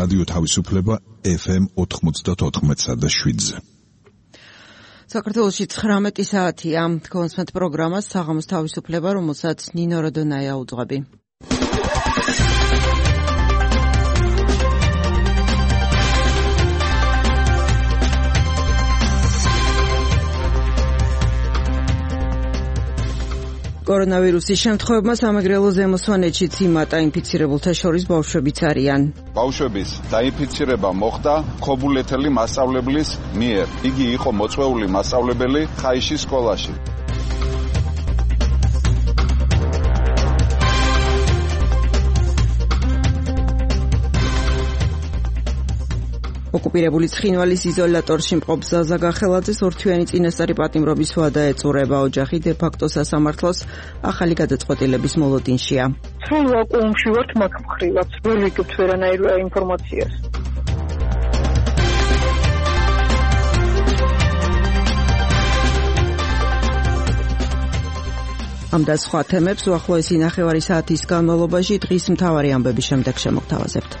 რადიო თავისუფლება FM 94.7-ზე. საქართველოში 19 საათია. კონსმეთ პროგრამას საღამოს თავისუფლება, რომელსაც ნინო როდონაია უძღვები. კორონავირუსის შემთხვევებმა სამეგრელო ზემო სვანეთშიც იმატა, ინფიცირებულთა შორის ბავშვებიც არიან. ბავშვების დაინფიცირება მოხდა ქობულეთელი მასწავლებლის მიერ. იგი იყო მოწვეული მასწავლებელი ხაიშის სკოლაში. ოკუპირებული ცხინვალის იზოლატორში მყოფ ზაზა გახელაძეს ორთვიანი წინასწარი პატიმრობის ვადა ეწურება. ოჯახი დე-ფაქტო სასამართლოს ახალი გადაწყვეტილების მოლოდინშია. სრულ ვაკუუმში ვართ მაგ მხრივაც. ვერ ვიგებთ ვერანაირ ინფორმაციას. ამ და სხვა თემებს უახლოესი ნახევარი საათის განმავლობაში დღის მთავარი ამბების შემდეგ შემოგთავაზებთ.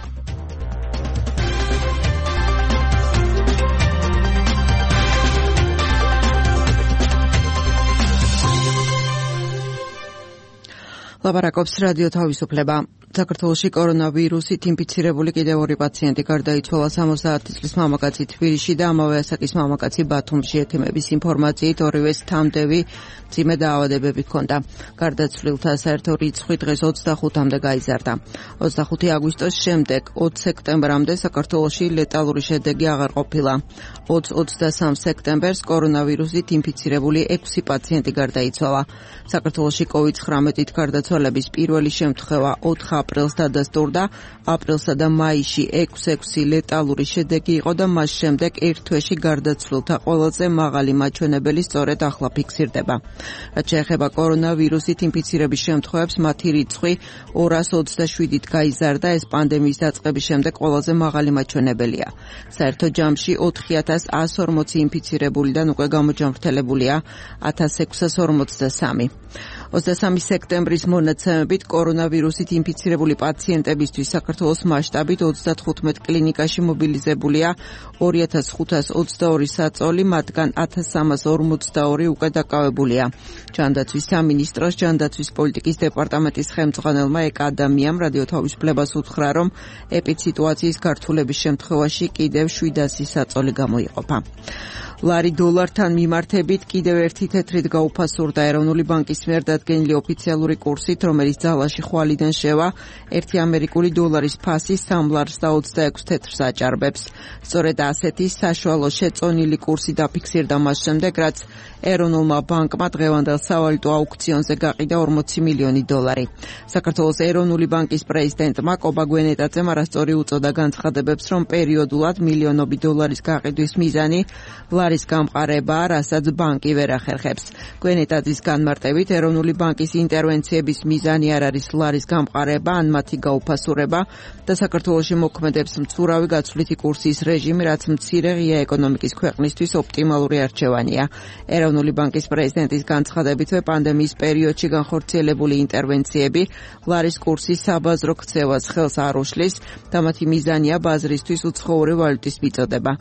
ლაპარაკობს რადიო თავისუფლება. საქართველოში კორონავირუსით ინფიცირებული კიდევ 2 პაციენტი გარდაიცვალა. 70 წლის მამაკაცი თბილისში და ამავე ასაკის მამაკაცი ბათუმში. ეთიმების ინფორმაციით ორივეს თამდევი მძიმე დაავადებები ჰქონდა. გარდაცვლილთა საერთო რიცხვი დღეს 25-მდე გაიზარდა. 25 აგვისტოს შემდეგ 20 სექტემბრამდე საქართველოში ლეტალური შედეგი აღარ ყოფილა. 20-23 სექტემბერს კორონავირუსით ინფიცირებული 6 პაციენტი გარდაიცვალა. საქართველოში COVID-19-ით გარდაცვალების პირველი შემთხვევა 4 აპრილს დადასტურდა. აპრილსა და მაისში 6 ლეტალური შედეგი იყო და მას შემდეგ ერთ თვეში გარდაცვლილთა ყველაზე მაღალი მაჩვენებელი სწორედ ახლა ფიქსირდება. რაც შეეხება კორონავირუსით ინფიცირების შემთხვევებს, მათი რიცხვი 227-ით გაიზარდა. ეს პანდემიის დაწყების შემდეგ ყველაზე მაღალი მაჩვენებელია. საერთო ჯამში 4140 ინფიცირებულიდან უკვე გამოჯამრთელებულია 1643. 23 სექტემბრის მონაცემებით კორონავირუსით ინფიცირებული პაციენტებისთვის საქართველოს მასშტაბით 35 კლინიკაში მობილიზებულია 2522 საწოლი, მათგან 1342 უკვე დაკავებულია. ჯანდაცვის სამინისტროს ჯანდაცვის პოლიტიკის დეპარტამენტის ხელმძღვანელმა ეკა ადამიანამ რადიო თავისუფლებას უთხრა, რომ ეპიდსიტუაციის გართულების შემთხვევაში კიდევ 700 საწოლი გამოიყოფა. ლარი დოლართან მიმართებით კიდევ ერთი თეთრით გაუფასურდა. ეროვნული ბანკის მიერ დადგენილი ოფიციალური კურსით, რომელიც ძალაში ხვალიდან შევა, 1 ამერიკული დოლარის ფასი 3 ლარს და 26 თეთრს აჭარბებს. სწორედ ასეთი საშუალო შეწონილი კურსი დაფიქსირდა მას შემდეგ, რაც ეროვნულმა ბანკმა დღევანდელ სავალუტო აუქციონზე გაყიდა 40 მილიონი დოლარი. საქართველოს ეროვნული ბანკის პრეზიდენტმა კობა გვენეტაძემ არასწორი უწოდა განცხადებებს, რომ პერიოდულად მილიონობით დოლარის გაყიდვის მიზანი ლარის გამყარებაა, რასაც ბანკი ვერ ახერხებს. გვენეტაძის განმარტებით, ეროვნული ბანკის ინტერვენციების მიზანი არ არის ლარის გამყარება ან მათი გაუფასურება და საქართველოში მოქმედებს მცურავი გაცვლითი კურსის რეჟიმი, რაც მცირე ღია ეკონომიკის ქვეყნისთვის ოპტიმალური არჩევანია. ეროვნული ბანკის პრეზიდენტის განცხადებითვე პანდემიის პერიოდში განხორციელებული ინტერვენციები ლარის კურსის საბაზრო ქცევას ხელს არ უშლის და მათი მიზანია ბაზრისთვის უცხოური ვალუტის მიწოდება.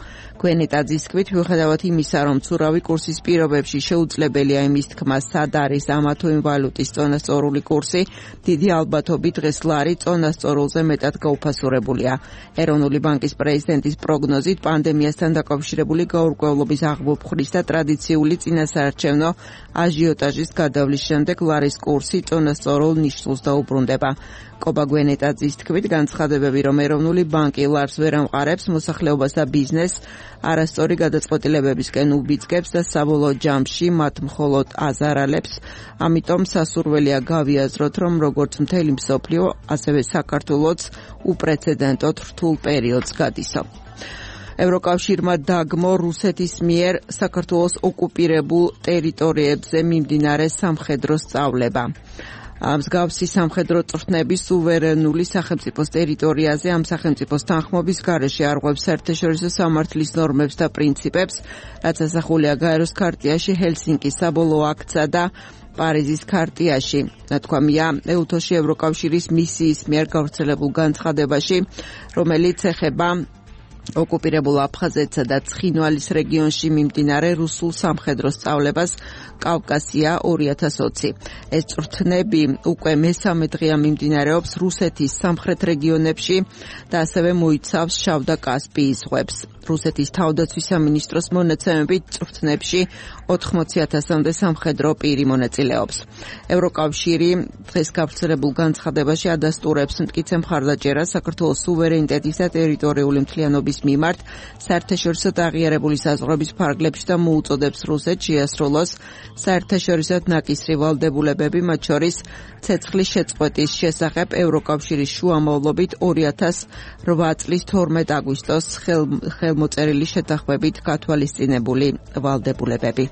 გვენეტაძის თქმით, მიუხედავად იმისა, რომ მცურავი კურსის პირობებში შეუძლებელია იმის თქმა, სად არის ამა თუ იმ ვალუტის წონასწორული კურსი, დიდი ალბათობით დღეს ლარი წონასწორულზე მეტად გაუფასურებულია. ეროვნული ბანკის პრეზიდენტის პროგნოზით, პანდემიასთან დაკავშირებული გაურკვევლობის აღბობხრის და ტრადიციული წინასაარჩევნო აჟიოტაჟის გადავლის შემდეგ ლარის კურსი წონასწორულ ნიშნულს დაუბრუნდება. კობა გვენეტაძის თქმით, განცხადებები, რომ ეროვნული ბანკი ლარს ვერ ამყარებს, მოსახლეობას და ბიზნესს არასწორი გადაწყვეტილებებისკენ უბიძგებს და საბოლოო ჯამში მათ მხოლოდ აზარალებს. ამიტომ სასურველია გავიაზროთ, რომ როგორც მთელი მსოფლიო, ასევე საქართველოც უპრეცედენტოდ რთულ პერიოდს გადისო. ევროკავშირმა დაგმო რუსეთის მიერ საქართველოს ოკუპირებულ ტერიტორიებზე მიმდინარე სამხედრო სწავლება. მსგავსი სამხედრო წვრთნები სუვერენული სახელმწიფოს ტერიტორიაზე ამ სახელმწიფოს თანხმობის გარეშე არღვევს საერთაშორისო სამართლის ნორმებს და პრინციპებს, რაც ასახულია გაეროს ქარტიაში, ჰელსინკის საბოლოო აქტსა და პარიზის ქარტიაში. ნათქვამია ეუთოში ევროკავშირის მისიის მიერ გავრცელებულ განცხადებაში, რომელიც ეხება ოკუპირებულ აფხაზეთსა და ცხინვალის რეგიონში მიმდინარე რუსულ სამხედრო სწავლებას კავკასია 2020. ეს წვრთნები უკვე მესამე დღეა მიმდინარეობს რუსეთის სამხრეთ რეგიონებში და ასევე მოიცავს შავ და კასპიის ზღვებს. რუსეთის თავდაცვის სამინისტროს მონაცემებით წვრთნებში 80,000-მდე სამხედრო პირი მონაწილეობს. ევროკავშირი დღეს გავრცელებულ განცხადებაში ადასტურებს მტკიცე მხარდაჭერას საქართველოს სუვერენიტეტის და ტერიტორიული მთლიანობის მიმართ საერთაშორისო აღიარებული საზღვრების ფარგლებში და მოუწოდებს რუსეთს შეასრულოს საერთაშორისო ნაკისრი ვალდებულებები, მათ შორის ცეცხლის შეწყვეტის შესახებ ევროკავშირის შუამავლობით 2008 წლის 12 აგვისტოს ხელმოწერილი შეთანხმებით გათვალისწინებული ვალდებულებები.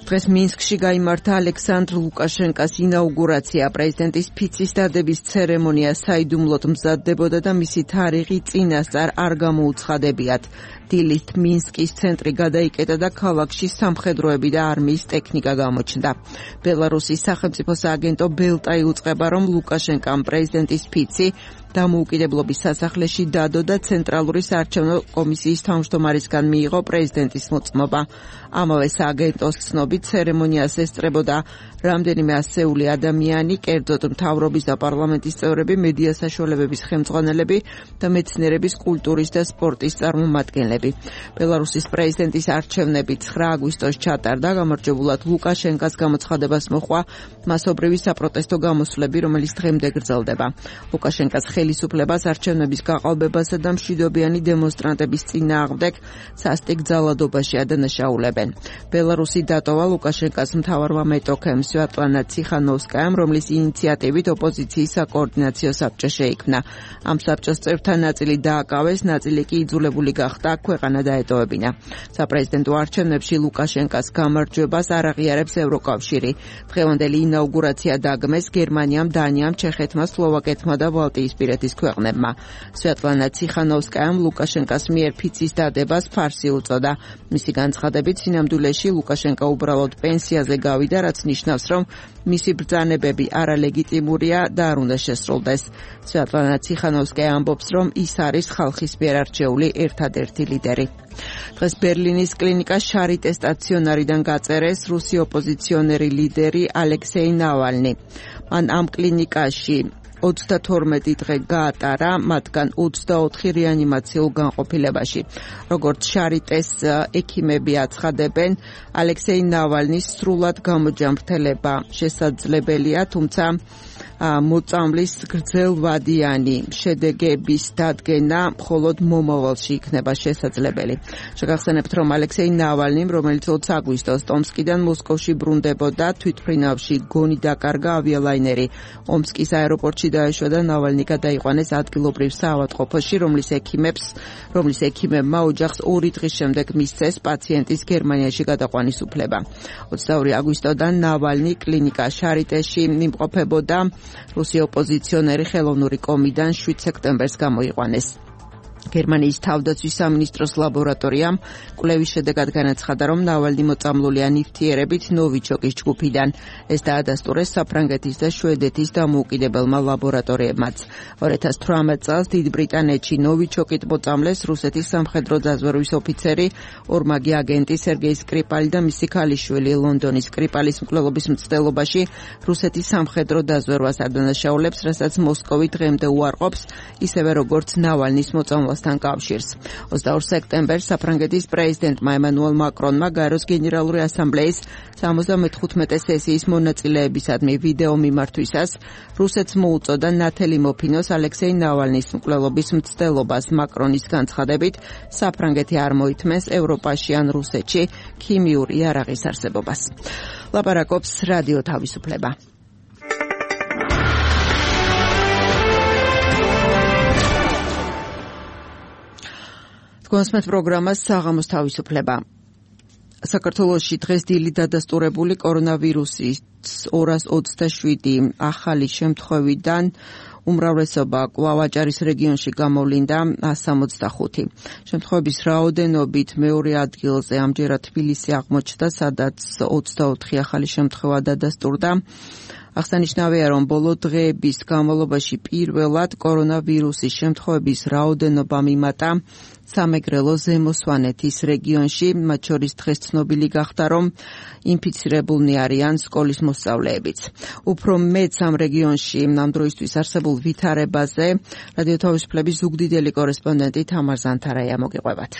დღეს მინსკში გაიმართა ალექსანდრ ლუკაშენკას ინაუგურაცია. პრეზიდენტის ფიცის დადების ცერემონია საიდუმლოდ მზადდებოდა და მისი თარიღი წინასწარ არ გამოუცხადებიათ. დილით მინსკის ცენტრი გადაიკეტა და ქალაქში სამხედროები და არმიის ტექნიკა გამოჩნდა. ბელარუსის სახელმწიფო სააგენტო ბელტა იუწყება, რომ ლუკაშენკამ პრეზიდენტის ფიცი დამოუკიდებლობის სასახლეში დადო და ცენტრალური საარჩევნო კომისიის თავმჯდომარისგან მიიღო პრეზიდენტის მოწმობა. ამავე სააგენტოს ცნობით ცერემონიას ესწრებოდა რამდენიმე ასეული ადამიანი, კერძოდ მთავრობის და პარლამენტის წევრები, მედია საშუალებების ხელმძღვანელები და მეცნიერების, კულტურის და სპორტის წარმომადგენლები. ბელარუსის პრეზიდენტის არჩევნები 9 აგვისტოს ჩატარდა. გამარჯვებულად ლუკაშენკას გამოცხადებას მოჰყვა მასობრივი საპროტესტო გამოსვლები, რომელიც დღემდე გრძელდება. ლუკაშენკას ხელისუფლებას არჩევნების გაყალბებასა და მშვიდობიანი დემონსტრანტების წინააღმდეგ სასტიკ ძალადობაში ადანაშაულებენ. ბელარუსი დატოვა ლუკაშენკას მთავარმა მეტოქემ სვიატლანა ციხანოვსკაიამ, რომლის ინიციატივით ოპოზიციის საკოორდინაციო საბჭო შეიქმნა. ამ საბჭოს წევრთა ნაწილი დააკავეს, ნაწილი კი იძულებული გახდა ქვეყანა დაეტოვებინა. საპრეზიდენტო არჩევნებში ლუკაშენკას გამარჯვებას არ აღიარებს ევროკავშირი. დღევანდელი ინაუგურაცია დაგმეს გერმანიამ, დანიამ, ჩეხეთმა, სლოვაკეთმა და ბალტიისპირეთის ქვეყნებმა. სვიატლანა ციხანოვსკაიამ ლუკაშენკას მიერ ფიცის დადებას ფარსი უწოდა. მისი განცხადებით, სინამდვილეში ლუკაშენკა უბრალოდ პენსიაზე გავიდა, რაც ნიშნავს, რომ მისი ბრძანებები არალეგიტიმურია და არ უნდა შესრულდეს. სვიატლანა ციხანოვსკაია ამბობს, რომ ის არის ხალხის მიერ არჩეული ერთადერთი ლიდერი. დღეს ბერლინის კლინიკა შარიტე სტაციონარიდან გაწერეს რუსი ოპოზიციონერი ლიდერი ალექსეი ნავალნი. მან ამ კლინიკაში 32 დღე გაატარა, მათგან 24 რეანიმაციულ განყოფილებაში. როგორც შარიტეს ექიმები აცხადებენ, ალექსეი ნავალნის სრულად გამოჯანმრთელება შესაძლებელია, თუმცა მოწამვლის გრძელვადიანი შედეგების დადგენა მხოლოდ მომავალში იქნება შესაძლებელი. შეგახსენებთ, რომ ალექსეი ნავალნიმ, რომელიც 20 აგვისტოს ტომსკიდან მოსკოვში ბრუნდებოდა, თვითმფრინავში გონი დაკარგა ავიალაინერი. ომსკის აეროპორტში დაეშვა და ნავალნი გადაიყვანეს ადგილობრივ საავადმყოფოში, რომლის ექიმებმა ოჯახს 2 დღის შემდეგ მისცეს პაციენტის გერმანიაში გადაყვანის უფლება. 22 აგვისტოდან ნავალნი კლინიკა შარიტეში იმყოფებოდა. რუსი ოპოზიციონერი ხელოვნური კომიდან 7 სექტემბერს გამოიყვანეს. გერმანიის თავდაცვის სამინისტროს ლაბორატორიამ კვლევის შედეგად განაცხადა, რომ ნავალნი მოწამლულია ნივთიერებით ნოვიჩოკის ჯგუფიდან. ეს დაადასტურეს საფრანგეთის და შვედეთის დამოუკიდებელმა ლაბორატორიებმაც. 2018 წელს დიდ ბრიტანეთში ნოვიჩოკით მოწამლეს რუსეთის სამხედრო დაზვერვის ოფიცერი, ორმაგი აგენტი სერგეი სკრიპალი და მისი ქალიშვილი. ლონდონის სკრიპალის მკვლელობის მცდელობაში რუსეთის სამხედრო დაზვერვას ადანაშაულებს, რასაც მოსკოვი დღემდე უარყოფს, ისევე როგორც ნავალნის მოწამლას კავშირს. 22 სექტემბერს საფრანგეთის პრეზიდენტმა ემანუელ მაკრონმა გაეროს გენერალური ასამბლეის 75 სესიის მონაწილეებისადმი ვიდეო მიმართვისას რუსეთს მოუწოდა ნათელი მოფინოს ალექსეი ნავალნის მკვლელობის მცდელობას. მაკრონის განცხადებით, საფრანგეთი არ მოითმენს ევროპაში ან რუსეთში ქიმიური იარაღის არსებობას. ლაპარაკობს რადიო თავისუფლება. თქვენს პროგრამას საღამოს თავისუფლება. საქართველოში დღეს დილით დადასტურებული კორონავირუსის 227 ახალი შემთხვევიდან უმრავლესობა კვლავ აჭარის რეგიონში გამოვლინდა 165. შემთხვევების რაოდენობით მეორე ადგილზე ამჯერად თბილისი აღმოჩნდა, სადაც 24 ახალი შემთხვევა დადასტურდა. აღსანიშნავია, რომ ბოლო დღეების განმავლობაში პირველად კორონავირუსის შემთხვევების რაოდენობა მიმატა სამეგრელო ზემო სვანეთის რეგიონში, მათ შორის დღეს ცნობილი გახდა, რომ ინფიცირებულნი არიან სკოლის მოსწავლეებიც. უფრო მეტ ამ რეგიონში ამ დროისთვის არსებულ ვითარებაზე რადიო თავისუფლების ზუგდიდელი კორესპონდენტი თამარ ზანთარაია მოგიყვებათ.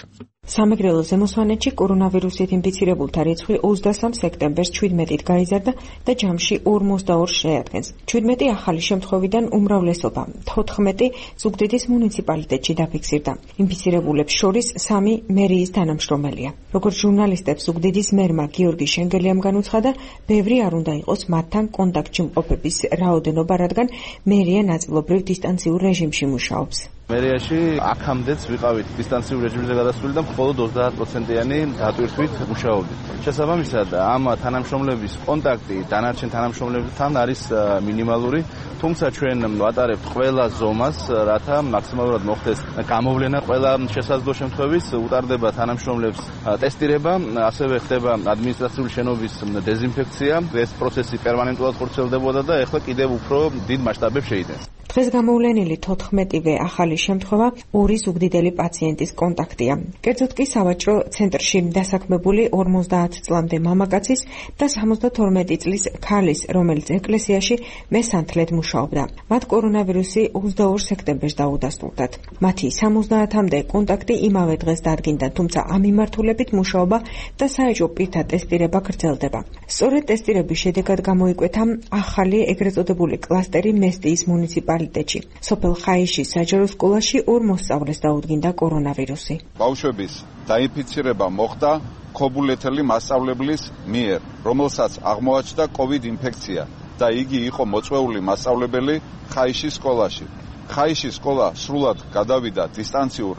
სამეგრელო ზემო სვანეთში კორონავირუსით ინფიცირებულთა რიცხვი 23 სექტემბერს 17-ით გაიზარდა და ჯამში 42 შეადგენს. 17 ახალი შემთხვევიდან უმრავლესობა 14 ზუგდიდის მუნიციპალიტეტში დაფიქსირდა. ინფიცირებულებს შორის 3 მერიის თანამშრომელია. როგორც ჟურნალისტებს ზუგდიდის მერმა გიორგი შენგელიამ განუცხადა, ბევრი არ უნდა იყოს მათთან კონტაქტში მყოფების რაოდენობა, რადგან მერია ნაწილობრივ დისტანციურ რეჟიმში მუშაობს. მერიაში აქამდეც ვიყავით დისტანციურ რეჟიმზე გადასული და მხოლოდ 30%-იანი დატვირთვით მუშაობდით. შესაბამისად, ამ თანამშრომლების კონტაქტი დანარჩენ თანამშრომლებთან არის მინიმალური, თუმცა ჩვენ ვატარებთ ყველა ზომას, რათა მაქსიმალურად მოხდეს გამოვლენა ყველა შესაძლო შემთხვევის, უტარდება თანამშრომლებს ტესტირება, ასევე ხდება ადმინისტრაციული შენობის დეზინფექცია. ეს პროცესი პერმანენტულად ხორციელდებოდა და ეხლა კიდევ უფრო დიდ მასშტაბებს შეიტანს. დღეს გამოვლენილი 14-ვე ახალი შემთხვევა 2 ზუგდიდელი პაციენტის კონტაქტია. კერძოდ კი სავაჭრო ცენტრში დასაქმებული 50 წლამდე მამაკაცის და 72 წლის ქალის, რომელიც ეკლესიაში მესანთლედ მუშაობდა. მათ კორონავირუსი 22 სექტემბერს დაუდასტურდათ. მათი 70-მდე კონტაქტი იმავე დღეს დადგინდა, თუმცა ამ მიმართულებით მუშაობა და საეჭვო პირთა ტესტირება გრძელდება. სწორედ ტესტირების შედეგად გამოიკვეთა ახალი ეგრეთ წოდებული კლასტერი მესტიის მუნიციპალიტეტში. სოფელ ხაიშის საჯარო სკოლაში 2 მოსწავლეს დაუდგინდა კორონავირუსი. ბავშვების დაინფიცირება მოხდა ქობულეთელი მასწავლებლის მიერ, რომელსაც აღმოაჩნდა COVID ინფექცია და იგი იყო მოწვეული მასწავლებელი ხაიშის სკოლაში. ხაიშის სკოლა სრულად გადავიდა დისტანციურ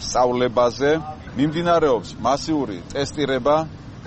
სწავლებაზე, მიმდინარეობს მასიური ტესტირება,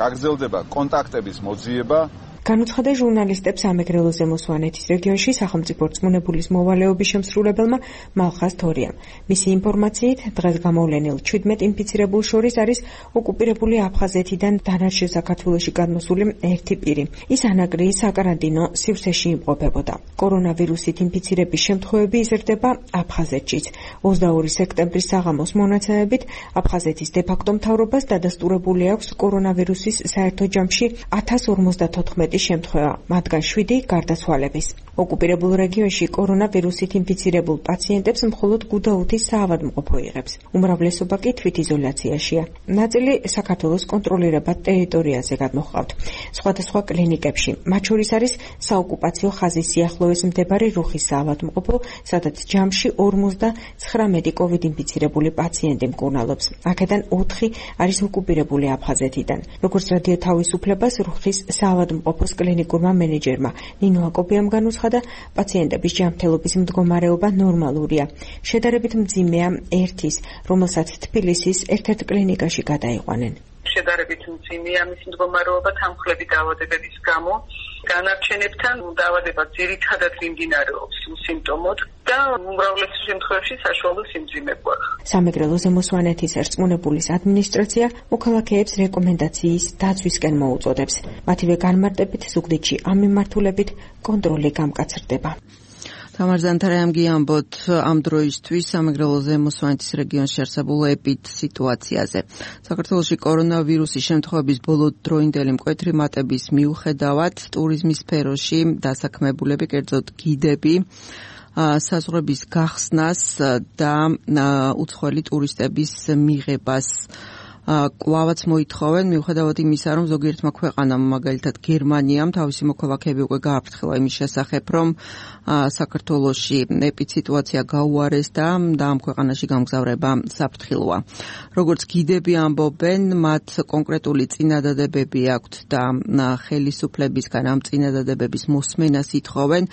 გაგრძელდება კონტაქტების მოძიება. განუცხადა ჟურნალისტებს სამეგრელო ზემო სვანეთის რეგიონში სახელმწიფო რწმუნებულის მოვალეობის შემსრულებელმა მალხაზ თორიამ. მისი ინფორმაციით, დღეს გამოვლენილ 17 ინფიცირებულ შორის არის ოკუპირებული აფხაზეთიდან დანარჩენ საქართველოში გადმოსული ერთი პირი. ის ანაკრიის საკარანტინო სივრცეში იმყოფებოდა. კორონავირუსით ინფიცირების შემთხვევები იზრდება აფხაზეთშიც. 22 სექტემბრის საღამოს მონაცემებით აფხაზეთის დე-ფაქტო მთავრობას დადასტურებული აქვს კორონავირუსის საერთო ჯამში 1054 შემთხვევა, მათგან 7 გარდაცვალების. ოკუპირებულ რეგიონში კორონავირუსით ინფიცირებულ პაციენტებს მხოლოდ გუდაუთის საავადმყოფო იღებს. უმრავლესობა კი თვითიზოლაციაშია. ნაწილი საქართველოს კონტროლირებად ტერიტორიაზე გადმოჰყავთ. სხვადასხვა კლინიკებში, მათ შორის არის საოკუპაციო ხაზის სიახლოვეს მდებარე რუხის საავადმყოფო, სადაც ჯამში 59 COVID ინფიცირებული პაციენტი მკურნალობს. აქედან 4 არის ოკუპირებული აფხაზეთიდან. როგორც რადიო თავისუფლებას რუხის საავადმყოფოს კლინიკურმა მენეჯერმა ნინო აკობიამ განუცხადა, პაციენტების ჯანმრთელობის მდგომარეობა ნორმალურია. შედარებით მძიმეა ერთის, რომელსაც თბილისის ერთ-ერთ კლინიკაში გადაიყვანენ. შედარებით მძიმეა მის მდგომარეობა თანმხლები დაავადებების გამო. განარჩენებთან დაავადება ძირითადად მიმდინარეობს სიმპტომოდ და უმრავლეს შემთხვევაში საშუალო სიმძიმეა. სამეგრელო ზემო სვანეთის რწმუნებულის ადმინისტრაცია მოქალაქეებს რეკომენდაციის დაცვისკენ მოუწოდებს. მათივე განმარტებით ზუგდიდში ამ მიმართულებით კონტროლი გამკაცრდება. თამარ ზანთარაიამ გიამბოთ ამ დროისთვის სამეგრელო ზემო სვანეთის რეგიონში არსებულ ეპიდსიტუაციაზე. საქართველოში კორონავირუსის შემთხვევების ბოლოდროინდელი მკვეთრი მატების მიუხედავად ტურიზმის სფეროში დასაქმებულები, კერძოდ გიდები, საზღვრების გახსნას და უცხოელი ტურისტების მიღებას კვლავაც მოითხოვენ, მიუხედავად იმისა, რომ ზოგიერთმა ქვეყანამ, მაგალითად გერმანიამ, თავისი მოქალაქეები უკვე გააფრთხილა იმის შესახებ, რომ საქართველოში ეპიდსიტუაცია გაუარეს და ამ ქვეყანაში გამგზავრება საფრთხილოა. როგორც გიდები ამბობენ, მათ კონკრეტული წინადადებები აქვთ და ხელისუფლებისგან ამ წინადადებების მოსმენას ითხოვენ.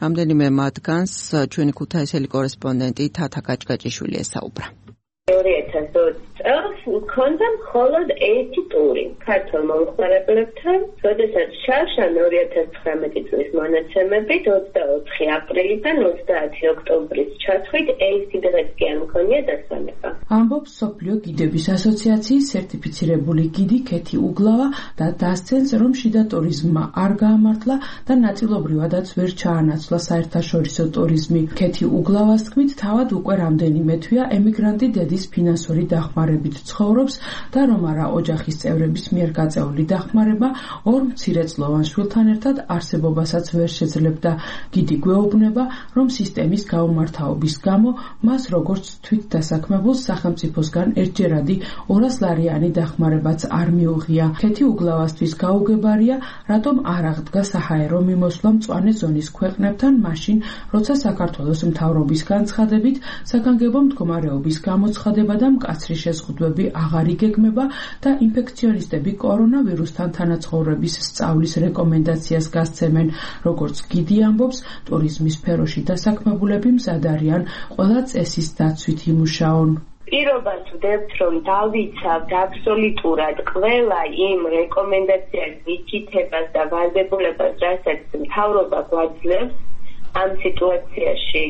რამდენიმე მათგანს ჩვენი ქუთაისელი კორესპონდენტი თათა გაჭგაჭიშვილი ესაუბრა. 2020 წელს ქონდა მხოლოდ ერთი ტური ქართულ მომხმარებლებთან, როდესაც შარშან 2019 წლის მონაცემებით 24 აპრილიდან 30 ოქტომბრის ჩათვლით ერთი დღეს კი არ მქონია დასვენება. ამბობს მსოფლიო გიდების ასოციაციის სერტიფიცირებული გიდი ქეთი უგლავა და დასცენს, რომ შიდა ტურიზმმა არ გაამართლა და ნაწილობრივადაც ვერ ჩაანაცვლა საერთაშორისო ტურიზმი. ქეთი უგლავას თქმით, თავად უკვე რამდენიმე თვეა ემიგრანტი დედის ფინანსური დახმარებით ცხოვრობს და რომ არა ოჯახის წევრების მიერ გაწეული დახმარება ორ მცირეწლოვან შვილთან ერთად არსებობასაც ვერ შეძლებდა. გიდი გვეუბნება, რომ სისტემის გაუმართავობის გამო მას როგორც თვით დასაქმებულს სახელმწიფოსგან ერთჯერადი 200 ლარიანი დახმარებაც არ მიუღია. ქეთი უგლავასთვის გაუგებარია, რატომ არ აღდგა საჰაერო მიმოსვლა მწვანე ზონის ქვეყნებთან მაშინ, როცა საქართველოს მთავრობის განცხადებით საგანგებო მდგომარეობის გამოცხადება და მკაცრი შეზღუდვები აღარ იგეგმება და ინფექციონისტები კორონავირუსთან თანაცხოვრების სწავლის რეკომენდაციას გასცემენ. როგორც გიდი ამბობს, ტურიზმის სფეროში დასაქმებულები მზად არიან ყველა წესის დაცვით იმუშაონ. პირობას ვდებთ, რომ დავიცავთ აბსოლუტურად ყველა იმ რეკომენდაციას, მითითებას და ვალდებულებას, რასაც მთავრობა გვაძლევს ამ სიტუაციაში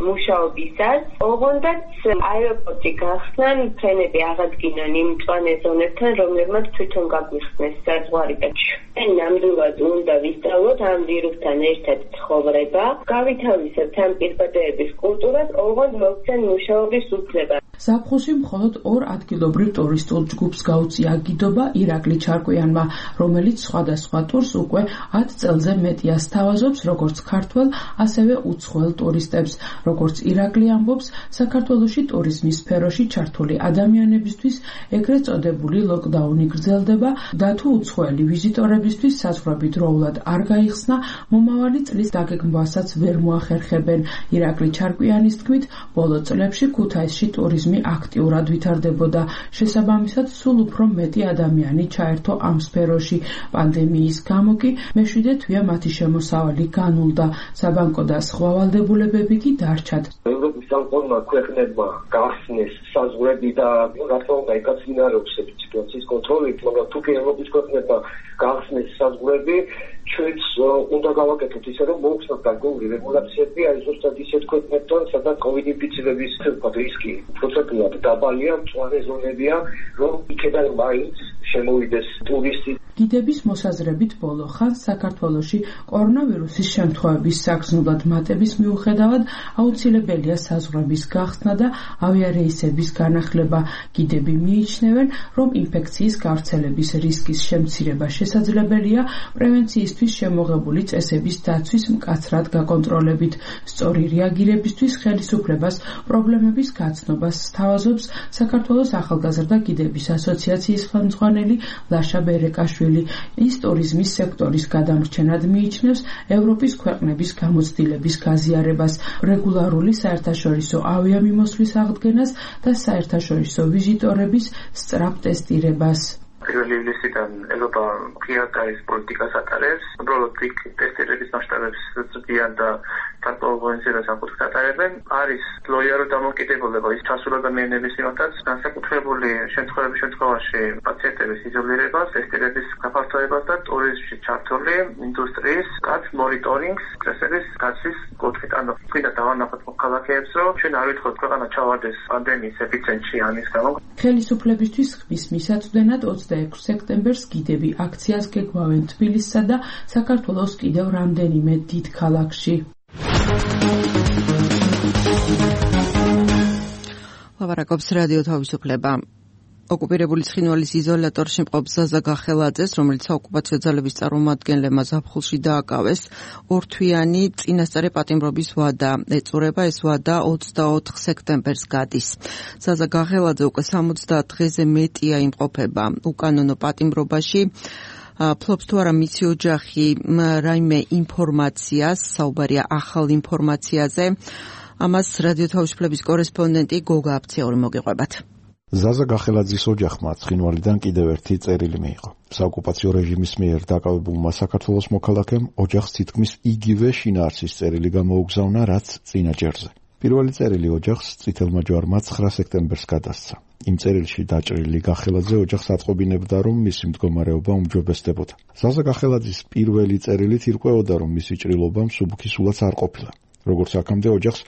მუშაობისას. ოღონდაც აეროპორტი გახსნან, ფრენები აღადგინონ იმ მწვანე ზონებთან, რომლებმაც თვითონ გაგვიხსნეს საზღვარი და ჩვენ ნამდვილად უნდა ვისწავლოთ ამ ვირუსთან ერთად ცხოვრება, გავითავისებთ ამ პირბადეების კულტურას, ოღონდ მოგცენ მუშაობის უფლება. ზაფხულში მხოლოდ ორ ადგილობრივ ტურისტულ ჯგუფს გაუწია გიდობა ირაკლი ჩარკვიანმა, რომელიც სხვადასხვა ტურს უკვე 10 წელზე მეტია სთავაზობს როგორც ქართველ, ასევე უცხოელ ტურისტებს. როგორც ირაკლი ამბობს, საქართველოში ტურიზმის სფეროში ჩართული ადამიანებისთვის ეგრეთ წოდებული ლოკდაუნი გრძელდება და თუ უცხოელი ვიზიტორებისთვის საზღვრები დროულად არ გაიხსნა, მომავალი წლის დაგეგმვასაც ვერ მოახერხებენ. ირაკლი ჩარკვიანის თქმით, ბოლო წლებში ქუთაისში ტურიზმი აქტიურად ვითარდებოდა. შესაბამისად, სულ უფრო მეტი ადამიანი ჩაერთო ამ სფეროში. პანდემიის გამო კი მეშვიდე თვეა მათი შემოსავალი განულდა. საბანკო და სხვა ვალდებულებები კი დარჩათ. ევროპის სამყარომა ქვეყნებმა გახსნეს საზღვრები და რა თქმა უნდა ეკაცინარებს სიტუაციის კონტროლით, მაგრამ თუ კი ევროპის ქვეყნებმა გახსნეს საზღვრები, ჩვენც უნდა გავაკეთოთ ისე, რომ მოვხსნათ გარკვეული რეგულაციები, აი ზუსტად ისეთ ქვეყნებთან, სადაც COVID ინფიცირების რისკი პროცენტულად დაბალია, მწვანე ზონებია, რომ იქიდან მაინც შემოვიდეს ტურისტი. გიდების მოსაზრებით ბოლო ხანს საქართველოში კორონავირუსის შემთხვევების საგრძნულად მატების მიუხედავად აუცილებელია საზღვრების გახსნა და ავიარეისების განახლება. გიდები მიიჩნევენ, რომ ინფექციის გავრცელების რისკის შემცირება შესაძლებელია პრევენციისთვის შემოღებული წესების დაცვის მკაცრად გაკონტროლებით. სწორი რეაგირებისთვის ხელისუფლებას პრობლემების გაცნობას სთავაზობს საქართველოს ახალგაზრდა გიდების ასოციაციის ხელმძღვანელი ლაშა ბერეკაშვილი. ის ტურიზმის სექტორის გადამრჩენად მიიჩნევს ევროპის ქვეყნების გამოცდილების გაზიარებას, რეგულარული საერთაშორისო ავიამიმოსვლის აღდგენას და საერთაშორისო ვიზიტორების სწრაფ ტესტირებას. პირველი ივლისიდან ევროპა ღიად არის პოლიტიკას ატარებს, უბრალოდ იქ ტესტირების მასშტაბებს ზრდიან და გარკვეულწილად საკუთრად ატარებენ. არის ლოიარო დამოკიდებულება ის ჩასულობა მიენების მიმართაც, განსაკუთრებული შემთხვევების შემთხვევაში პაციენტების იზოლირებას, ტესტირების გაფართოებას და ტურიზმში ჩართული ინდუსტრიის კაც მონიტორინგს, წესების დაცვის კუთხით. ანუ ვინდა დავანახოთ მოქალაქეებს, რომ ჩვენ არ ვითხოვთ ქვეყანა ჩავარდეს პანდემიის ეპიცენტრში ამის გამო. ხელისუფლებისთვის ხმის მისაწვდენად 26 სექტემბერს გიდები აქციას გეგმავენ თბილისსა და საქართველოს კიდევ რამდენიმე დიდ ქალაქში. ლაპარაკობს რადიო თავისუფლება. ოკუპირებული ცხინვალის იზოლატორში მყოფ ზაზა გახელაძეს, რომელიც საოკუპაციო ძალების წარმომადგენლებმა ზაფხულში დააკავეს, ორთვიანი წინასწარი პატიმრობის ვადა ეწურება. ეს ვადა 24 სექტემბერს გადის. ზაზა გახელაძე უკვე 70 დღეზე მეტია იმყოფება უკანონო პატიმრობაში. ფლობს თუ არა მისი ოჯახი რაიმე ინფორმაციას, საუბარია ახალ ინფორმაციაზე. ამას რადიო თავისუფლების კორესპონდენტი გოგა აფციური მოგიყვებათ. ზაზა გახელაძის ოჯახმა ცხინვალიდან კიდევ ერთი წერილი მიიღო. საოკუპაციო რეჟიმის მიერ დაკავებულმა საქართველოს მოქალაქემ ოჯახს თითქმის იგივე შინაარსის წერილი გამოუგზავნა, რაც წინა ჯერზე. პირველი წერილი ოჯახს წითელმა ჯვარმა 9 სექტემბერს გადასცა. იმ წერილში დაჭრილი გახელაძე ოჯახს ატყობინებდა, რომ მისი მდგომარეობა უმჯობესდებოდა. ზაზა გახელაძის პირველი წერილით ირკვეოდა, რომ მისი ჭრილობა მსუბუქი სულაც არ ყოფილა. როგორც აქამდე ოჯახს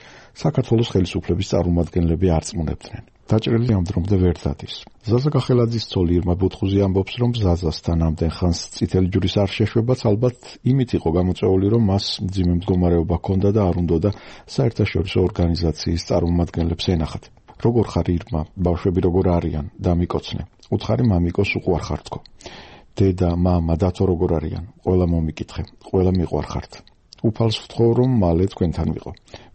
საქართველოს ხელისუფლების წარმომადგენლები არწმუნებდნენ. დაჭრილი ამ დრომდე ვერ დადის. ზაზა გახელაძის ცოლი ირმა ბუთხუზი ამბობს, რომ ზაზასთან ამდენ ხანს წითელი ჯვრის არ შეშვებაც ალბათ იმით იყო გამოწვეული, რომ მას მძიმე მდგომარეობა ჰქონდა და არ უნდოდა საერთაშორისო ორგანიზაციის წარმომადგენლებს ენახათ. როგორ ხარ ირმა, ბავშვები როგორ არიან, დამიკოცნე. უთხარი მამიკოს უყვარხარ თქო. დედა, მამა, დათო როგორ არიან? ყველა მომიკითხე, ყველა მიყვარხართ. უფალს ვთხოვ, რომ მალე თქვენთან ვიყო.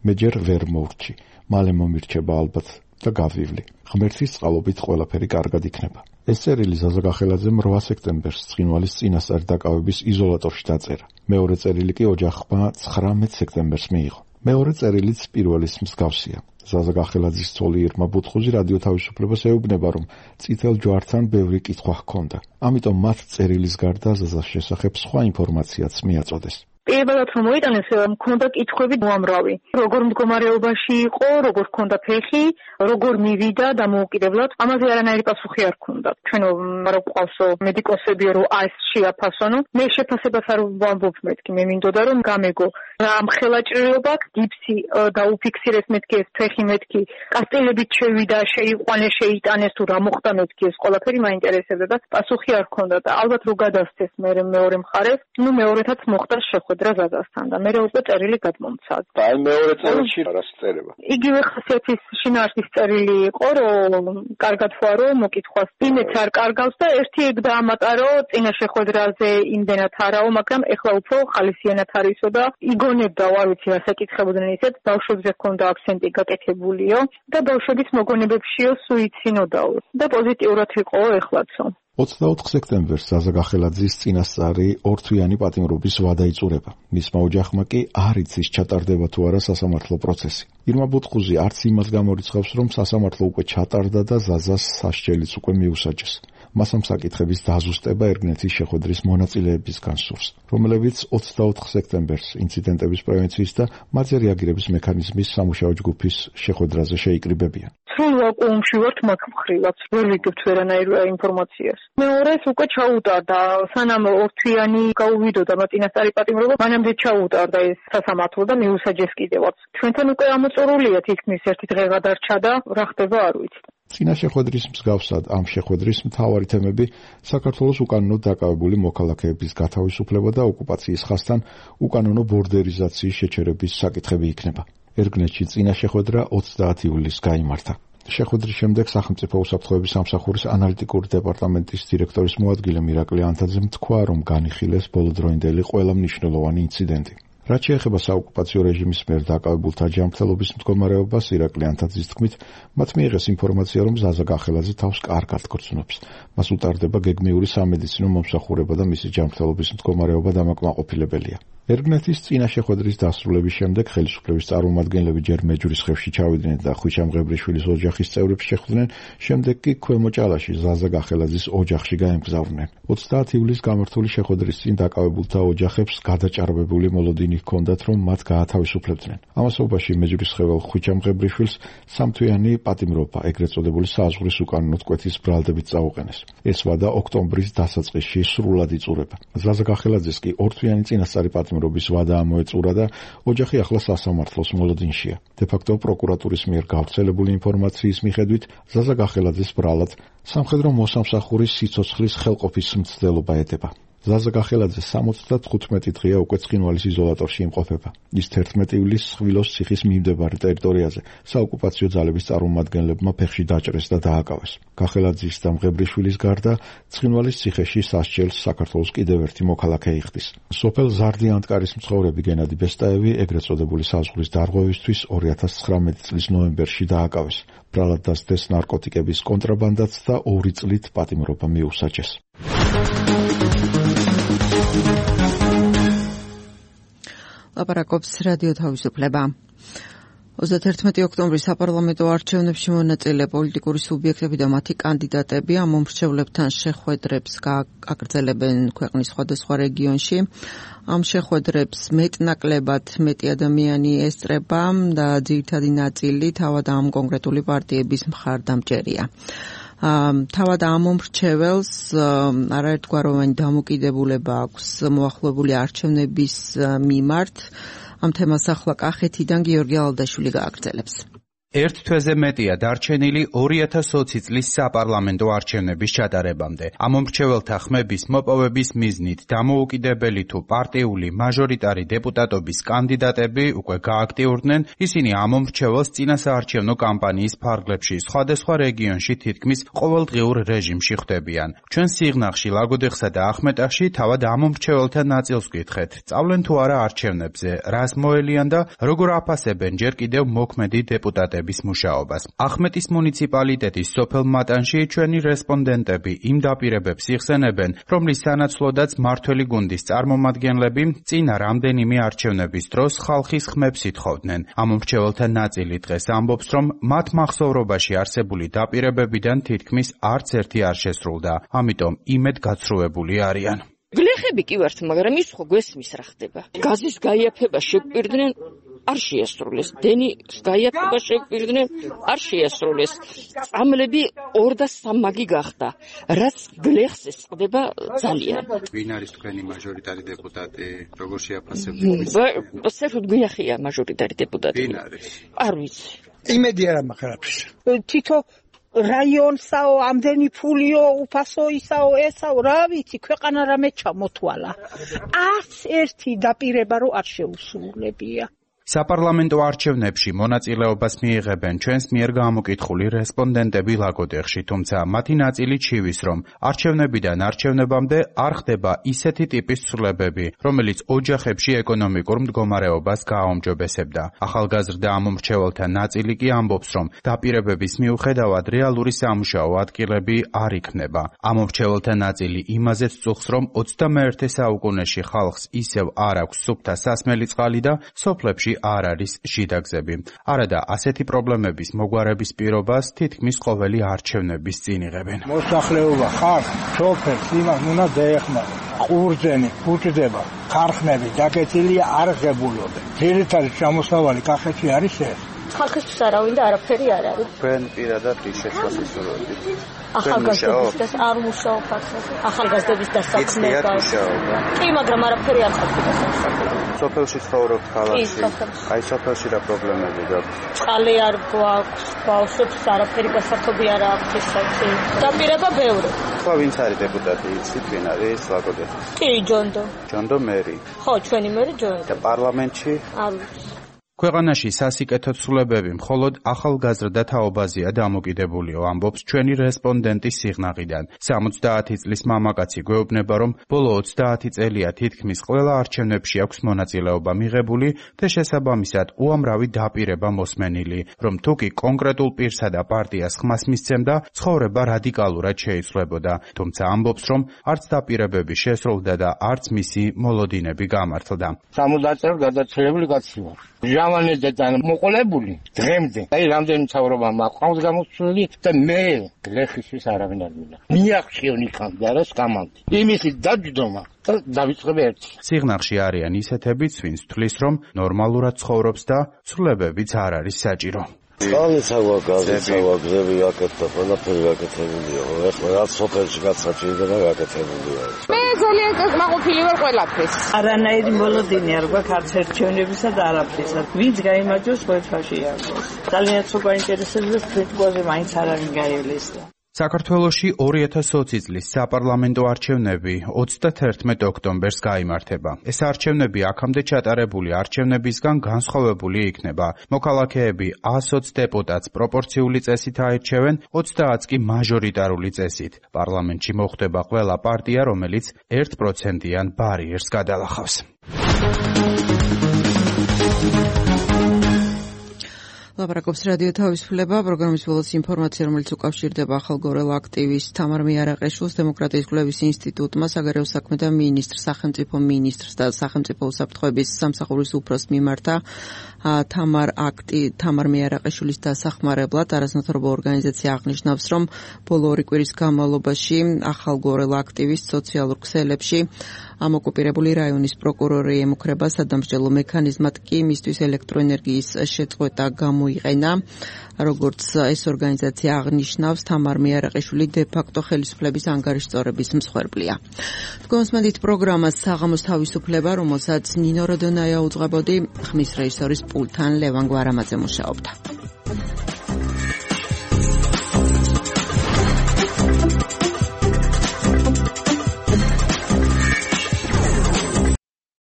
მე ჯერ ვერ მოვრჩი, მალე მომირჩება ალბათ და გავივლი. ღმერთის წყალობით ყველაფერი კარგად იქნება. ეს წერილი ზაზა გახელაძემ 8 სექტემბერს ცხინვალის წინასწარი დაკავების იზოლატორში დაწერა. მეორე წერილი კი ოჯახმა 19 სექტემბერს მიიღო. მეორე წერილიც პირველის მსგავსია. ზაზა გახელაძის ცოლი ირმა ბუთხუზი რადიო თავისუფლებას ეუბნება, რომ წითელ ჯვართან ბევრი კითხვა ჰქონდა. ამიტომ მათ წერილის გარდა ზაზას შესახებ სხვა ინფორმაციაც მიაწოდეს. პირველად რომ მოიტანეს, მქონდა კითხვები უამრავი. როგორ მდგომარეობაში იყო, როგორ ჰქონდა ფეხი, როგორ მივიდა დამოუკიდებლად. ამაზე არანაირი პასუხი არ ჰქონდა. ჩვენო არ გვყავსო მედიკოსები, რომ ეს შეაფასონო. მე შეფასებას არ ვამბობ მეთქი, მე მინდოდა რომ გამეგო რა ამხელა ჭრილობა, გიფსი დაუფიქსირეს მეთქი ეს ფეხი მეთქი, კასტელებით შევიდა, შეიყვანეს, შეიტანეს თუ რა მოხდა მეთქი ეს ყველაფერი მაინტერესებდა და პასუხი არ ჰქონდა და ალბათ რო გადასცეს მე მეორე მხარეს, ნუ მეორეთაც მოხდა შეხვედრა ზაზასთან და მე უკვე წერილი გადმომცა. და აი მეორე წერილში რას წერება? იგივე ხასიათის შინაარსის წერილი იყო, რომ კარგად ვარო, მოკითხვას იმეც არ კარგავს და ერთი ეგ დაამატარო წინა შეხვედრაზე იმდენად არაო, მაგრამ ეხლა უფრო ხალისიანად არისო და იგონებდა, არ ვიცი რა საკითხებოდნენ ისეთ, ბავშვებზე ჰქონდა აქცენტი გაკეთებულიო და ბავშვების მოგონებებშიო სუიცინოდაო და პოზიტიურად იყო ეხლაცო. 24 სექტემბერს ზაზა გახელაძის წინასწარი ორთვიანი პატიმრობის ვადა იწურება. მისმა ოჯახმა კი არ იცის ჩატარდება თუ არა სასამართლო პროცესი. ირმა ბუთხუზი არც იმას გამორიცხავს, რომ სასამართლო უკვე ჩატარდა და ზაზას სასჯელიც უკვე მიუსაჯეს. მას ამ საკითხების დაზუსტება ერგნეთის შეხვედრის მონაწილეებისგან სურს, რომლებიც 24 სექტემბერს ინციდენტების პრევენციის და მათზე რეაგირების მექანიზმის სამუშაო ჯგუფის შეხვედრაზე შეიკრიბებიან. სრულ ვაკუუმში ვართ მაგ მხრივაც, ვერ ვიგებთ ვერანაირ ინფორმაციას. მეორეს უკვე ჩაუტარდა, სანამ ორთვიანი გაუვიდოდა წინასწარი პატიმრობა, მანამდე ჩაუტარდა ეს სასამართლო და მიუსაჯეს კიდევაც. ჩვენთან უკვე ამოწურულია თითქმის ერთი დღე გადარჩა და რა ხდება არ ვიცით. წინა შეხვედრის მსგავსად ამ შეხვედრის მთავარი თემები საქართველოს უკანონოდ დაკავებული მოქალაქეების გათავისუფლება და ოკუპაციის ხაზთან უკანონო ბორდერიზაციის შეჩერების საკითხები იქნება. ერგნეთში წინა შეხვედრა 30 ივლისს გაიმართა. შეხვედრის შემდეგ სახელმწიფო უსაფრთხოების სამსახურის ანალიტიკური დეპარტამენტის დირექტორის მოადგილე მირაკლი ანთაძემ თქვა, რომ განიხილეს ბოლოდროინდელი ყველა მნიშვნელოვანი ინციდენტი. რაც შეეხება საოკუპაციო რეჟიმის მიერ დაკავებულთა ჯანმრთელობის მდგომარეობას, ირაკლი ანთაძის თქმით, მათ მიიღეს ინფორმაცია, რომ ზაზა გახელაძე თავს კარგად გრძნობს. მას უტარდება გეგმიური სამედიცინო მომსახურება და მისი ჯანმრთელობის მდგომარეობა დამაკმაყოფილებელია. ერგნეთის წინა შეხვედრის დასრულების შემდეგ ხელისუფლების წარმომადგენლები ჯერ მეჯვრისხევში ჩავიდნენ და ხვიჩამ-ღებრიშვილის ოჯახის წევრებს შეხვდნენ, შემდეგ კი ქვემო ჭალაში ზაზა გახელაძის ოჯახში გაემგზავრნენ. 30 ივლისს გამართული შეხვედრის წინ დაკავებულთა ოჯახებს გადაჭარბებული მოლოდინი ჰქონდათ, რომ მათ გაათავისუფლებდნენ. ამასობაში მეჯვრისხეველ ხვიჩამ-ღებრიშვილს სამთვიანი პატიმრობა, ეგრეთ წოდებული საზღვრის უკანონო კვეთის ბრალდებით წაუყენეს. ეს ვადა ოქტომბრის დასაწყისში სრულად იწურება. ზაზა გახელაძეს კი ორთვიანი წინასწარი პატიმრობის ვადა ამოეწურა და ოჯახი ახლა სასამართლოს მოლოდინშია. დე-ფაქტო პროკურატურის მიერ გავრცელებული ინფორმაციის მიხედვით, ზაზა გახელაძის ბრალად სამხედრო მოსამსახურის სიცოცხლის ხელყოფის მცდელობა ეტება. ზაზა გახელაძე 75 დღეა უკვე ცხინვალის იზოლატორში იმყოფება. ის 11 ივლისს ხვილოს ციხის მიმდებარე ტერიტორიაზე საოკუპაციო ძალების წარმომადგენლებმა ფეხში დაჭრეს და დააკავეს. გახელაძის და მღებრიშვილის გარდა ცხინვალის ციხეში სასჯელს საქართველოს კიდევ ერთი მოქალაქე იხდის. სოფელ ზარდიანტკარის მცხოვრები გენადი ბესტაევი ეგრეთ წოდებული საზღვრის დარღვევისთვის 2019 წლის ნოემბერში დააკავეს. ბრალად დასდეს ნარკოტიკების კონტრაბანდაც და 2 წლით პატიმრობა მიუსაჯეს. ლაპარაკობს რადიო თავისუფლება. 31 ოქტომბრის საპარლამენტო არჩევნებში მონაწილე პოლიტიკური სუბიექტები და მათი კანდიდატები ამ მომრჩევლებთან შეხვედრებს გააგრძელებენ ქვეყნის სხვადასხვა რეგიონში. ამ შეხვედრებს მეტნაკლებად მეტი ადამიანი ესწრება და ძირითადი ნაწილი თავად ამ კონკრეტული პარტიების მხარდამჭერია. თავად ამ მომრჩეველს არაერთგვაროვანი დამოკიდებულება აქვს მოახლოებული არჩევნების მიმართ. ამ თემას ახლა კახეთიდან გიორგი ალდაშვილი გააგრძელებს. ერთ თვეზე მეტია დარჩენილი 2020 წლის საპარლამენტო არჩევნების ჩატარებამდე. ამ მომრჩეველთა ხმების მოპოვების მიზნით დამოუკიდებელი თუ პარტიული მაჟორიტარი დეპუტატობის კანდიდატები უკვე გააქტიურდნენ. ისინი ამ მომრჩეველს წინასაარჩევნო კამპანიის ფარგლებში სხვადასხვა რეგიონში თითქმის ყოველდღიურ რეჟიმში ხვდებიან. ჩვენ სიღნაღში, ლაგოდეხსა და ახმეტახში თავად ამ მომრჩეველთა ნაწილს ვკითხეთ. სწავლენ თუ არა არჩევნებზე, რას მოელიან და როგორ აფასებენ ჯერ კიდევ მოქმედი დეპუტატები მუშაობას. ახმეტის მუნიციპალიტეტის სოფელ მატანში ჩვენი რესპონდენტები იმ დაპირებებს იხსენებენ, რომლის სანაცვლოდაც მართველი გუნდის წარმომადგენლები წინა რამდენიმე არჩევნების დროს ხალხის ხმებს ითხოვდნენ. ამ მომრჩეველთა ნაწილი დღეს ამბობს, რომ მათ მახსოვრობაში არსებული დაპირებებიდან თითქმის არც ერთი არ შესრულდა, ამიტომ იმედგაცრუებული არიან. გლეხები კი ვართ, მაგრამ ის ხო გვესმის რა ხდება. გაზის გაიაფება შეგვპირდნენ, არ შეასრულეს. დენის გაიაფება შეგვპირდნენ, არ შეასრულეს. წამლები 2 და 3 მაგი გახდა. რაც გლეხს ესწრება ძალიან. ვინ არის თქვენი მაჟორიტარი დეპუტატი? როგორ შეაფასებთ? საერთოდ გვიახია მაჟორიტარი დეპუტატი. ვინ არის? არ ვიცი. იმედი არ მაქვს. თითო რაიონსაო, ამდენი ფულიო, უფასო ისაო, ესაო, რა ვიცი, ქვეყანა რამე ჩამოთვალა. არც ერთი დაპირება რო არ შეუსრულებია. საპარლამენტო არჩევნებში მონაწილეობას მიიღებენ ჩვენს მიერ გამოკითხული რესპონდენტები ლაგოდეხში, თუმცა მათი ნაწილი ჩივის, რომ არჩევნებიდან არჩევნებამდე არ ხდება ისეთი ტიპის ცვლილებები, რომელიც ოჯახებში ეკონომიკურ მდგომარეობას გააუმჯობესებდა. ახალგაზრდა ამ მომრჩეველთა ნაწილი კი ამბობს, რომ დაპირებების მიუხედავად რეალური სამუშაო ადგილები არ იქნება. ამ მომრჩეველთა ნაწილი იმაზეც წუხს, რომ 21 საუკუნეში ხალხს ისევ არ აქვს სუფთა სასმელი წყალი და სოფლებში არ არის შიდაგზები. არადა ასეთი პრობლემების მოგვარების პირობას თითქმის ყოველი არჩევნების წინ იღებენ. მოსახლეობა ხარ, სოფელს იმას უნდა დაეხმარო. ყურძენი, ფუჭდება, ხარხნები დაკეთილია არ ღებულობენ. ძირითადი ჩამოსავალი კახეთში არის ეს. ხალხისთვის არავინ და არაფერი არ არის. თქვენ პირადად ის შეცვლას ისურვებთ. ახალგაზრდების არ მუშაობ ფაქტობრივად. ახალგაზრდების დასაქმება. კი, მაგრამ არაფერი არ ხდება სასწავლებლო. სოფელში ცხოვრობთ ქალაქში. აი სოფელში რა პრობლემები გაქვთ? წყალი არ გვაქვს, ბავშვებს არაფერი გასართობი არ აქვთ ისეთი. დაპირება ბევრი. ხო, ვინც არის დეპუტატი, იცით ვინ არის ლაგოდეხში? კი, ჯონდო. ჯონდო მერი. ხო, ჩვენი მერი ჯონდო. და პარლამენტში? არ ვიცი. ქვეყანაში სასიკეთო ცვლილებები მხოლოდ ახალგაზრდა თაობაზეა დამოკიდებულიო, ამბობს ჩვენი რესპონდენტი სიღნაღიდან. 70 წლის მამაკაცი გვეუბნება, რომ ბოლო 30 წელია თითქმის ყველა არჩევნებში აქვს მონაწილეობა მიღებული და შესაბამისად უამრავი დაპირება მოსმენილი, რომ თუკი კონკრეტულ პირსა და პარტიას ხმას მისცემდა, ცხოვრება რადიკალურად შეიცვლებოდა. თუმცა ამბობს, რომ არც დაპირებები შესრულდა და არც მისი მოლოდინები გამართლდა. 70 წელი გადაცილებული კაცი ვარ. ჟავანედან მოყოლებული დღემდე. აი რამდენი ცხოვრება მაყავს გამოსული და მე გლეხისთვის არავინ არ მინდა. მიახშიონ იქამდე არას გამანდი. იმისი დაჯდომა და დავიწყებ ერთი. სიღნაღში არიან ისეთებიც, ვინც თვლის, რომ ნორმალურად ცხოვრობს და ცვლილებებიც არ არის საჭირო. წყალიცავა, გაზიცავა, გზები აკეთდა, ყველაფერი აკეთებულია. ეხლა რაც სოფელში გაცაჭირდება აკეთებულია. მე ძალიან კმაყოფილი ვარ ყველაფერს. არანაირი მოლოდინი არ გვაქვს არც ერჩევნებისა და არაფრისა. ვინც გაიმარჯვოს ყველაფერში არის. ძალიან უფრო გაინტერესებს თვითონზე მაინც არავინ გაივლეს. საქართველოში 2020 წლის საპარლამენტო არჩევნები 31 ოქტომბერს გაიმართება. ეს არჩევნები აქამდე ჩატარებული არჩევნებისგან განსხვავებული იქნება. მოქალაქეები 120 დეპუტატს პროპორციული წესით აირჩევენ, 30-ს კი მაჟორიტარული წესით. პარლამენტში მოხვდება ყველა პარტია, რომელიც 1%-იან ბარიერს გადალახავს. ლაპარაკობს რადიო თავისუფლება, პროგრამის ბოლოს ინფორმაცია, რომელიც უკავშირდება ახალგორელ აქტივისტ თამარ მიარაყეშვილს დემოკრატიის კვლევის ინსტიტუტმა საგარეო საქმეთა მინისტრს, სახელმწიფო მინისტრს და სახელმწიფო უსაფრთხოების სამსახურის უფროსს მიმართა თამარ მიარაყეშვილის დასახმარებლად. არაზნაურობო ორგანიზაცია აღნიშნავს, რომ ბოლო 2 კვირის განმავლობაში ახალგორელ აქტივისტ სოციალურ ქსელებში ამ ოკუპირებული რაიონის პროკურორი ემუქრება სადამსჯელო მექანიზმად კი მისთვის ელექტროენერგიის შეწყვეტა გამოიყენა. როგორც ეს ორგანიზაცია აღნიშნავს, თამარ მიარაყეშვილი დე-ფაქტო ხელისუფლების ანგარიშწორების მსხვერპლია. თქვენსმენდით პროგრამას საღამოს თავისუფლება, რომელსაც ნინო როდონაია უძღვებოდი, ხმის რეჟისორის პულტთან ლევან გვარამაძე მუშაობდა.